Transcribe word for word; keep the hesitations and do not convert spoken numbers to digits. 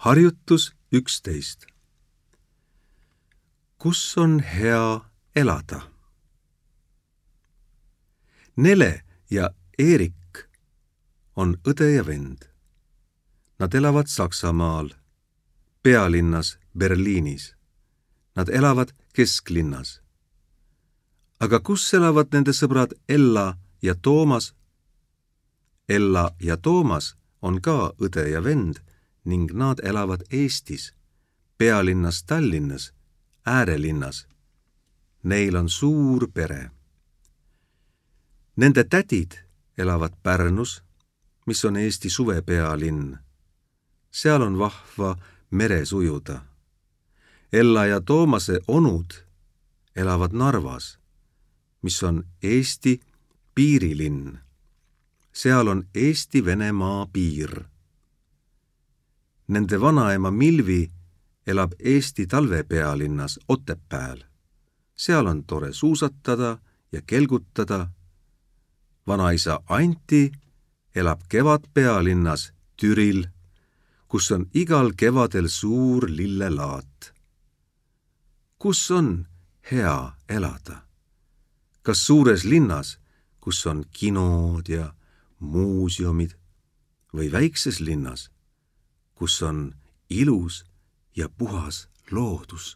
Harjutus üksteist. Kus on hea elada? Nele ja Eerik on õde ja vend. Nad elavad Saksamaal, pealinnas Berliinis. Nad elavad kesklinnas. Aga kus elavad nende sõbrad Ella ja Toomas? Ella ja Toomas on ka õde ja vend ning nad elavad Eestis, pealinnas Tallinnas, äärelinnas. Neil on suur pere. Nende tädid elavad Pärnus, mis on Eesti suvepealinn. Seal on vahva meres ujuda. Ella ja Toomase onud elavad Narvas, mis on Eesti piirilinn. Seal on Eesti-Venemaa piir. Nende vanaema Milvi elab Eesti talvepealinnas Otepääl. Seal on tore suusatada ja kelgutada. Vanaisa Anti elab kevadpealinnas Türil, kus on igal kevadel suur lillelaat. Kus on hea elada? Kas suures linnas, kus on kinod ja muuseumid, või väikses linnas, kus on ilus ja puhas loodus?